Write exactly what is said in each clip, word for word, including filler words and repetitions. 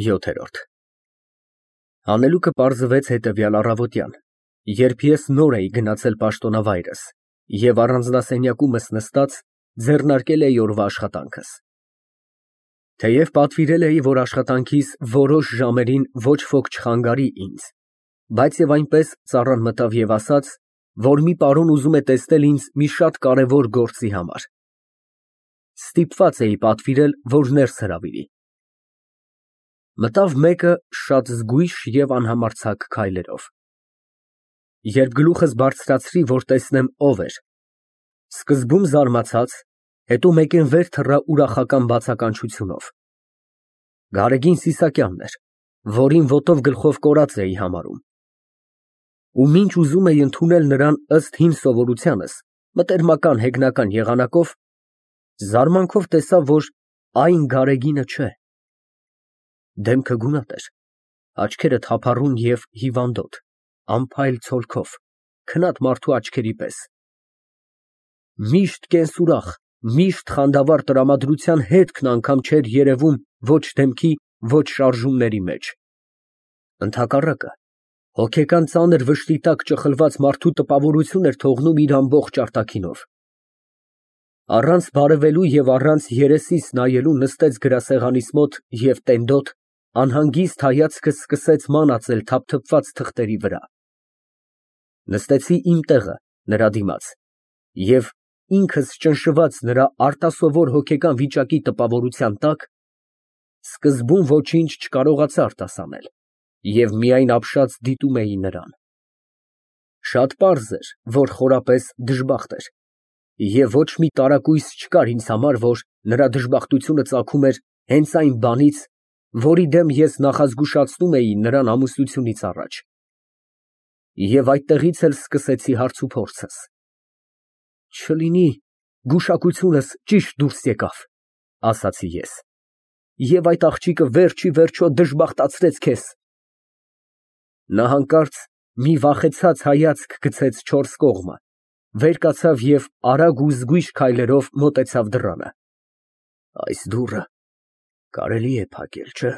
յոթ։ Հանելուկը պարզվեց հետևյալ առավոտյան, երբ ես նոր էի գնացել պաշտոնավայրս և առանձնասենյակումս նստած ձեռնարկել էի օրվա աշխատանքս։ Թեև պատվիրել էի, որ աշխատանքիս որոշ ժամերին ոչ ոք չխանգարի ինձ, բայց և այնպես ծառան մտավ և ասաց, որ մի պարոն ուզում է տեսնել ինձ մի շատ կարևոր գործի համար։ Ստիպված էի պատվիրել, որ ներս հրավիրի։ Մտավ մեկը շատ զգույշ և անհամարձակ քայլերով։ Երբ գլուխս բարձրացրի, որ տեսնեմ ով էր, սկզբում զարմացած, հետո մեկեն վեր թռա ուրախական բացականչությունով։ Գարեգին Սիսակյանն էր, որին ոտով գլխով կորած էի համարում։ Ու մինչ ուզում էի ընդունել նրան ըստ հին սովորությանս, մտերմական հեգնական եղանակով, զարմանքով տեսա, որ այն Գարեգինը չէ։ Դեմքը գունատ էր, աչքերը թափառուն և հիվանդոտ, անփայլ ցոլքով, քնած մարդու աչքերի պես։ Միշտ կենսուրախ, միշտ խանդավառ տրամադրության հետքն անգամ չէր երևում ոչ դեմքի, ոչ շարժումների մեջ։ Ընդհակառակը, հոգեկան ծանր վշտի տակ ճխլված մարդու տպավորություն էր թողնում իր ամբողջ արտաքինով։ Առանց բարևելու և առանց երեսիս նայելու նստեց գրասեղանիս մոտ և տենդոտ, անհանգիստ հայացքս սկսեց մանածել թափթփված թղթերի վրա։ Նստեցի իմ տեղը նրա դիմաց և, ինքս ճնշված նրա արտասովոր հոգեկան վիճակի տպավորության տակ, սկզբում ոչինչ չկարողացա արտասանել և միայն ապշած դիտում էի նրան։ Շատ պարզ էր, որ խորապես դժբախտ էր, և ոչ մի տարակույս չկար ինձ համար, որ նրա դժբախտությունը ծագում էր հենց այն բանից, որի դեմ ես նախազգուշացնում էի նրան ամուսնությունից առաջ։ Եվ այդտեղից էլ սկսեցի հարցուփորձս։ «Չլինի գուշակությունս ճիշտ դուրս եկավ», ասացի ես, «և այդ աղջիկը վերջ ի վերջո դժբախտացրեց քեզ»։ Նա հանկարծ մի վախեցած հայացք գցեց չորս կողմը, վեր կացավ և արագ ու զգույշ քայլերով մոտեցավ դռանը։ «Այս դուռը կարելի է փակել, չէ՞,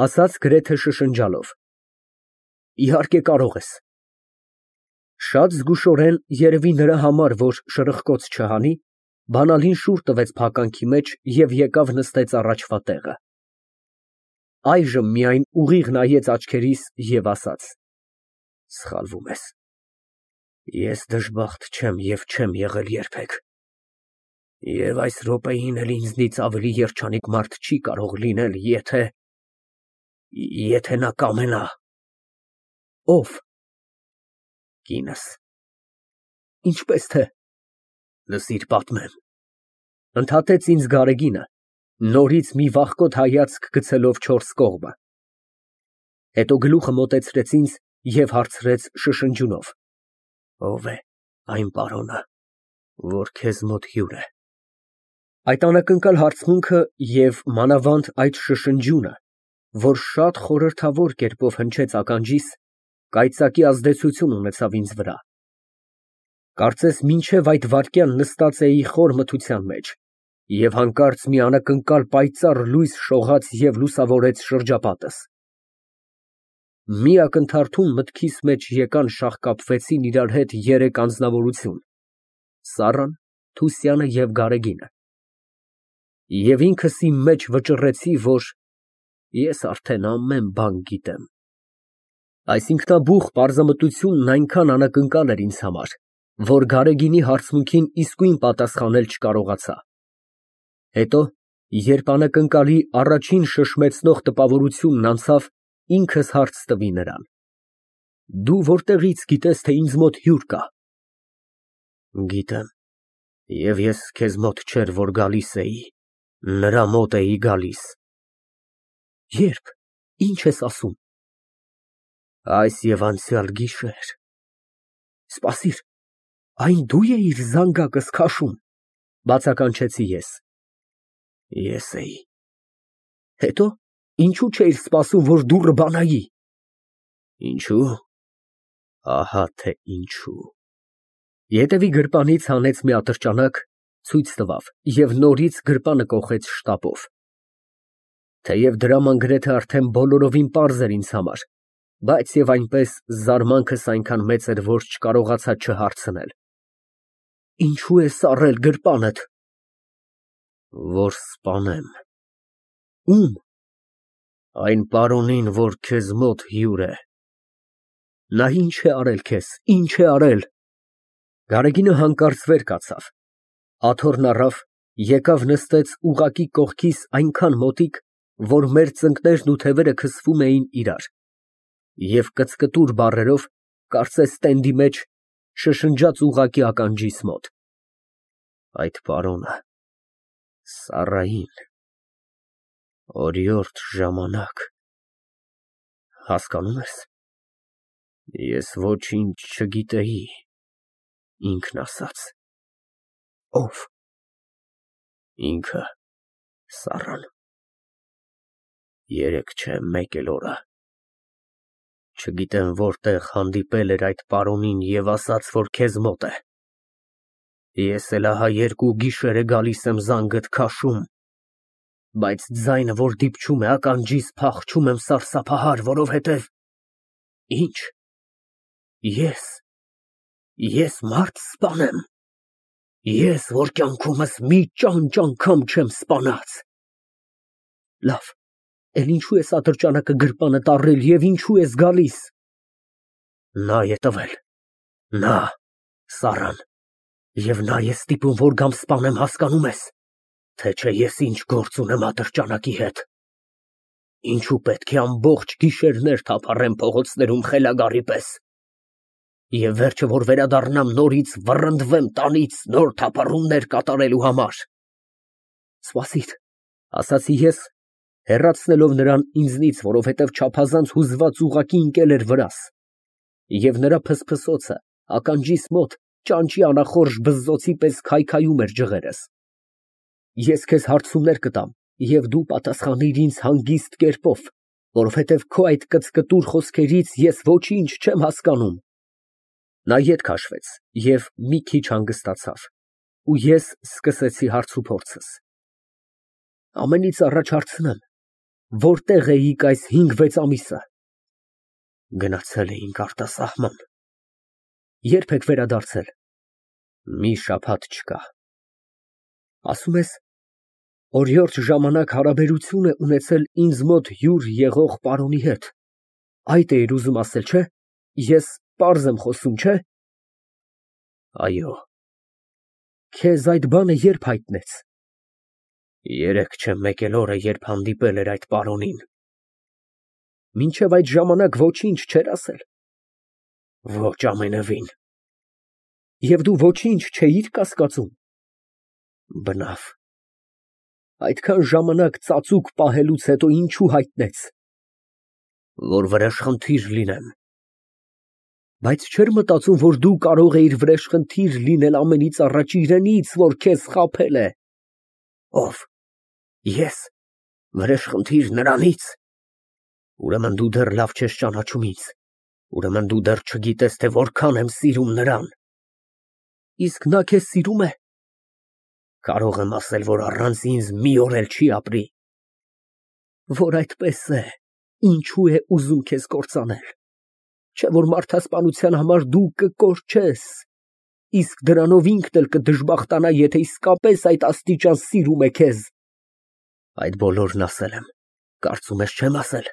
ասաց գրեթե շշնջալով։ «Իհարկե կարող ես»։ Շատ զգուշորեն, երևի նրա համար, որ շրխկոց չհանի, բանալին շուռ տվեց փականքի մեջ և եկավ նստեց առաջվա տեղը։ Այժմ միայն ուղիղ նայեց աչքերիս և ասաց. «Սխալվում ես, ես դժբախտ չեմ և չեմ եղել երբեք, և այս րոպեին էլ ինձնից ավելի երջանիկ մարդ չի կարող լինել, եթե… եթե նա կամենա»։ «Ո՞վ»։ «Կինս»։ «Ինչպես թե»։ «Լսիր, պատմեմ», ընդհատեց ինձ Գարեգինը, նորից մի վախկոտ հայացք գցելով չորս կողմը։ Հետո գլուխը մոտեցրեց ինձ և հարցրեց շշնջյունով. «Ո՞վ է այն պարոնը, որ քեզ մոտ հյուր է»։ Այդ անակնկալ հարցմունքը և մանավանդ այդ շշնջյունը, որ շատ խորհրդավոր կերպով հնչեց ականջիս, կայծակի ազդեցություն ունեցավ ինձ վրա։ Կարծես մինչև այդ վայրկյան նստած էի խոր մթության մեջ, և հանկարծ մի անակնկալ պայծառ լույս շողաց և լուսավորեց շրջապատս։ Մի ակնթարթում մտքիս մեջ եկան շաղկապվեցին իրար հետ երեք անձնավորություն՝ Սառան, Թուսյանը և Գարեգինը։ Եվ ինքս իմ մեջ վճռեցի, որ ես արդեն ամեն բան գիտեմ։ Այս ինքնաբուխ պարզամտությունն այնքան անակնկալ էր ինձ համար, որ Գարեգինի հարցմունքին իսկույն պատասխանել չկարողացա։ Հետո, երբ անակնկալի առաջին շշմեցնող տպավորությունն անցավ, ինքս հարց տվի նրան. «Դու որտեղից գիտես, թե ինձ մոտ հյուր կա»։ «Գիտեմ, և ես քեզ մոտ չէր, որ գալիս էի, նրա մոտ էի գալիս»։ «Ե՞րբ, ի՞նչ ես ասում»։ «Այս և անցյալ գիշեր»։ «Սպասիր, այն դու էիր զանգակս քաշում», բացականչեցի ես։ «Ես էի»։ «Հետո, ինչո՞ւ չէիր սպասում, որ դուռը բանայի»։ «Ինչո՞ւ, ահա թե ինչու»։ Ետևի գրպանից հանեց մի ատրճանակ, ցույց տվավ և նորից գրպանը կոխեց շտապով։ Թեև դրաման գրեթե արդեն բոլորովին պարզ էր ինձ համար, բայց և այնպես զարմանքս այնքան մեծ էր, որ չկարողացա չհարցնել. Ինչո՞ւ ես առել գրպանդ։ Որ սպանեմ։ Ո՞ւմ։ Այն պարոնին, որ քեզ մոտ հյուր է։ Նա ինչ է արել քեզ, ինչ է արել։ Գարեգինը հանկարծ վեր կացավ, աթոռն առավ, եկավ նստեց ուղղակի կողքիս այնքան մոտիկ, որ մեր ծնկներն ու թևերը քսվում էին իրար, և կծկտուր բառերով, կարծես տենդի մեջ, շշնջաց ուղղակի ականջիս մոտ. Այդ պարոնը Սառային, օրիորդ ժամանակ, հասկանում ես, ես ոչինչ չգիտեի, ինքն ասաց։ Ո՞վ։ Ինքը, Սառան։ Երեկ չէ, մեկ էլ օրը։ Չգիտեմ որտեղ հանդիպել էր այդ պարոնին և ասաց, որ քեզ մոտ է։ Ես էլ ահա երկու գիշեր է գալիս եմ զանգդ քաշում, բայց ձայնը, որ դիպչում է ականջիս, փախչում եմ սարսափահար, որովհետև… Ի՞նչ։ Ես… ես մարդ սպանեմ… Ես, որ կյանքումս մի ճանճ անգամ չեմ սպանած… Լավ, էլ ինչո՞ւ ես ատրճանակը գրպանդ առել և ինչո՞ւ ես գալիս… Նա է տվել, նա, Սառան, և նա է ստիպում, որ գամ սպանեմ, հասկանում ես, թե չէ ես ինչ գործ ունեմ ատրճանակի հետ… Ինչու պետք է ամբողջ գիշերներ թափառեմ փողոցներում խելագարի պես… Եվ վերջը, որ վերադառնամ, նորից վռնդվեմ տանից նոր թափառումներ կատարելու համար… Սպասիր, ասացի ես, հեռացնելով նրան ինձնից, որովհետև չափազանց հուզված ուղղակի ընկել էր վրաս, և նրա փսփսոցը ականջիս մոտ ճանճի անախորժ բզզոցի պես քայքայում էր ջղերս… Ես քեզ հարցումներ կտամ, և դու պատասխանիր ինձ հանգիստ կերպով, որովհետև քո այդ կծկտուր խոսքերից ես ոչինչ չեմ հասկանում… Նա ետ քաշվեց և մի քիչ հանգստացավ, ու ես սկսեցի հարցուփորձս… Ամենից առաջ հարցնեմ, որտե՞ղ էիք այս հինգ֊վեց ամիսը… Գնացել էինք արտասահման… Ե՞րբ եք վերադարձել… Մի շաբաթ չկա… Ասում ես, օրիորդ ժամանակ հարաբերություն է ունեցել ինձ մոտ հյուր եղող պարոնի հետ… Այդ էիր ուզում ասել, չէ՞… Ես պարզ եմ խոսում, չէ՞… Այո… Քեզ այդ բանը ե՞րբ հայտնեց… Երեկ չէ, մեկ էլ օրը, երբ հանդիպել էր այդ պարոնին… Մինչև այդ ժամանակ ոչինչ չէր ասել… Ոչ, ամենևին… Եվ դու ոչինչ չէիր կասկածում… Բնավ… Այդքան ժամանակ ծածուկ պահելուց հետո ինչու հայտնեց… Որ վրեժխնդիր լինեմ… Բայց չէր մտածում, որ դու կարող էիր վրեժխնդիր լինել ամենից առաջ իրենից, որ քեզ խաբել է… Ո՞վ… Ե՞ս… Վրեժխնդիր նրանից… Ուրեմն դու դեռ լավ չես ճանաչում ինձ… Ուրեմն դու դեռ չգիտես, թե որքան եմ սիրում նրան… Իսկ նա քեզ սիրո՞ւմ է… Կարող եմ ասել, որ առանց ինձ մի օր էլ չի ապրի… Որ այդպես է, ինչո՞ւ է ուզում քեզ կործանել… Չէ՞ որ մարդասպանության համար դու կկորչես… Իսկ դրանով ինքն էլ կդժբախտանա, եթե իսկապես այդ աստիճան սիրում է քեզ… Այդ բոլորն ասել եմ, կարծում ես չեմ ասել…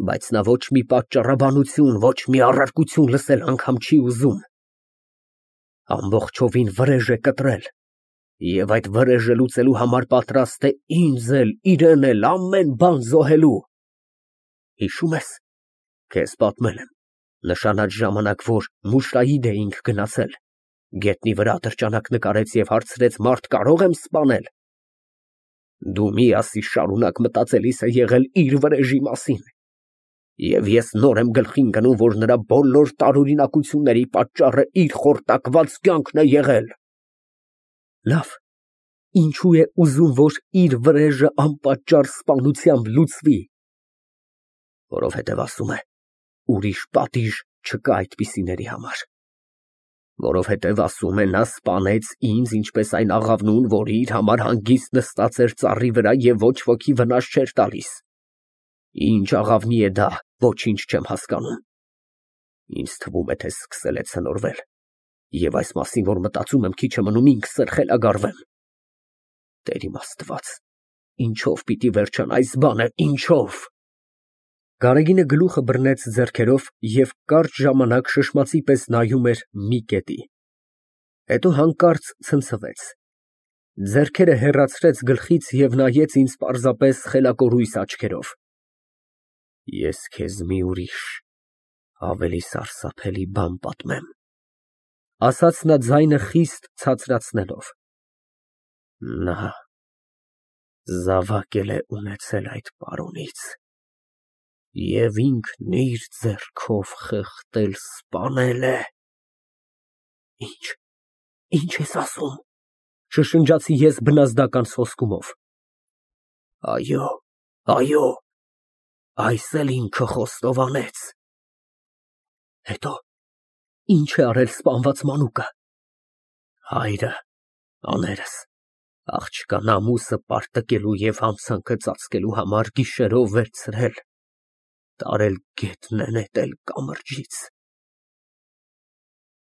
Բայց նա ոչ մի պատճառաբանություն, ոչ մի առարկություն լսել անգամ չի ուզում… Ամբողջովին վրեժ է կտրել… Եվ այդ վրեժը լուծելու համար պատրաստ է ինձ էլ, իրեն էլ, ամեն բան զոհելու… Հիշո՞ւմ ես, քեզ պատմել եմ, նշանած ժամանակ, որ Մուշրայիդ էինք գնացել, գետնի վրա ատրճանակ նկարեց և հարցրեց մարդ կարո՞ղ եմ սպանել… Դու միասի շարունակ մտածելիս է եղել իր վրեժի մասին… Եվ ես նոր եմ գլխի ընկնում, որ նրա բոլոր տարօրինակությունների պատճառը իր խորտակված կյանքն է եղել… Լավ, ինչո՞ւ է ուզում, որ իր վրեժը անպատճառ սպանությամբ լուծվի… Որովհետև ասում է, ուրիշ պատիժ չկա այդպիսիների համար… Որովհետև ասում է, նա սպանեց ինձ, ինչպես այն աղավնուն, որը իր համար հանգիստ նստած էր ծառի վրա և ոչ ոքի վնաս չէր տալիս։ Ինչ աղավնի է դա, ոչինչ չեմ հասկանում։ Ինձ թվում է, թե սկսել է ցնորվել, և այս մասին, որ մտածում եմ, քիչ է մնում ինքս էլ խելագարվեմ։ Տեր իմ Աստված, ինչո՞վ պիտի վերջանա այս բանը, ինչո՞վ։ Գարեգինը գլուխը բռնեց ձեռքերով և կարճ ժամանակ շշմածի պես նայում էր մի կետի, հետո հանկարծ ցնցվեց, ձեռքերը հեռացրեց գլխից և նայեց ինձ պարզապես խելակորույս աչքերով։ Ես քեզ մի ուրիշ, ավելի սարսափելի բան պատմեմ, ասաց նա ձայնը խիստ ցածրացնելով. նա զավակ էլ է ունեցել այդ պարոնից և ինքն իր ձեռքով խեղդել սպանել է։ Ինչ, ինչ ես ասում, շշնջացի ես բնազդական սոսկումով։ Այո, այո, այս էլ ինքը խոստովանեց։ Հետո ի՞նչ է արել սպանված մանուկը։ Հայրը, աներս, աղջկան ամուսը պարտկելու և համցանքը ծածկելու համար գիշերով վերցրել, տարել գետնը նետել կամրջից,